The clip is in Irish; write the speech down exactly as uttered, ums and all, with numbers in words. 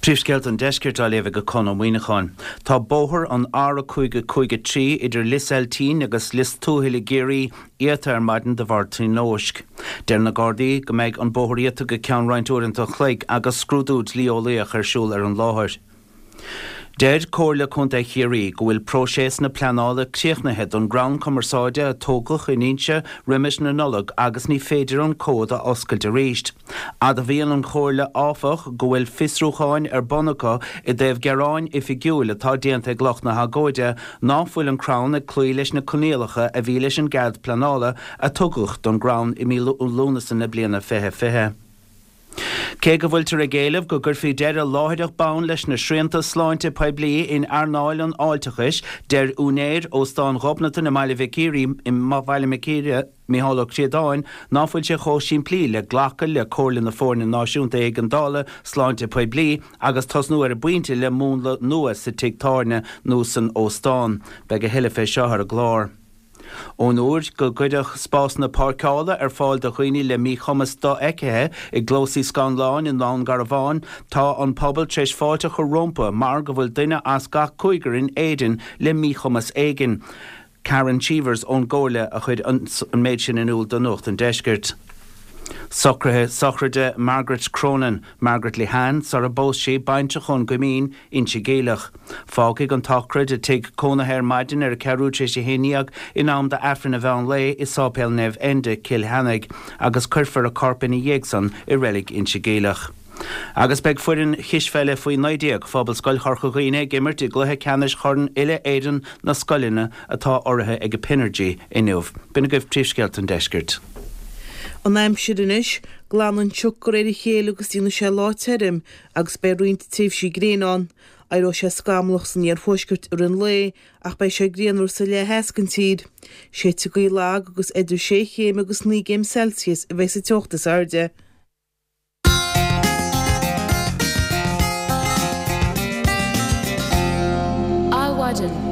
Príomhscéalta an Deiscirt á léamh ag Conn Ó Muíneacháin. Tá bóthar an R a cúig a cúig a trí idir Lios Eiltín agus Lios Tuathail i gCiarraí iata ar maidin de bharr tionóisc. Deir na Gardaí go mbeidh an bóthar iata go ceann roinnt uaireanta an chloig agus scrúdú dlí-eolaíoch ar siúl ar an láthair. Deir Comhairle Contae Chiarraí go bhfuil próiseas na pleanála críochnaithe don gcrann cumarsáide a tógadh in Inse roimis na Nollag agus ní féidir an comhad a oscailt arís. Admhaíonn an Chomhairle áfach go bhfuil fiosrúcháin ar bun acu i dtaobh gearáin oifigiúil atá déanta ag lucht na hagóide ná fuil an crann ag cloí leis na coinníollacha a bhí leis an gcead pleanála a tugadh don gcrann i mí Lúnasa na bliana fiche fiche. Cé go bhfuiltear ag éileamh go gcuirfí deireadh láithreach bonn leis na srianta sláinte poiblí in earnáil an fháilteachais, deir úinéir Óstán Ghobnatan i mBaile Mhic Íre, i mBaile Mhic Íre, Micheál Ó Críodáin, ná fuil sé chomh simplí le glacadh le comhairle na Foirne Náisiúnta Éigeandála Sláinte Poiblí agus tosnú ar an bpointe le múnla nua sa tigh tábhairne nó san óstán. Beidh a thuilleadh fé seo ar an gclár. Ón uair go gcuireadh spásanna páirceála ar fáil do dhaoine le míchumas dofheicthe i gclósaí scannláin i nDún Garbhán, tá an pobal tar éis fáilte a chur rompu mar go bhfuil duine as gach cúigear in Éirinn le míchumas éigin. Karen Cheevers ón gComhairle a chuir an méid sin in iúl do Nuacht an Deiscirt. Socruithe sochraide Margaret Cronin, Margaret Lehane, sara bpós sí, baintreach ón gCoimín, Inse Geimhleach. Fágfaidh an tsochraid a tigh cónaithe ar maidin ar a ceathrú tar éis a haon dhéag in am d'Aifreann an mheán lae i Sáipéal Naomh Enda, Cill Cheannaigh, agus cuirfear a corp ina dhiaidh san i Reilig Inse Geimhleach. Agus beidh foireann chispheile faoi naoi déag Phobalscoil Chorca Dhuibhne ag imirt i gcluiche ceannais Chorn Uile-Éireann na Scoileanna atá urraithe ag Pinergy inniu. B'in agaibh príomhscéalta an deiscirt. An aimsir anois, glanfaidh an sioc de réir a chéile agus déanfaidh sé lá tirim agus beidh roinnt tréimhsí gréine ann. Éireoidh sé scamallach san iarthuaisceart i rith an lae ach beidh sé grianmhar sa leath theas den tír. Séidfidh gaoth lag agus idir sé chéim agus naoi gcéim Celsius a bheidh sa teocht is airde. Adhmhaidin.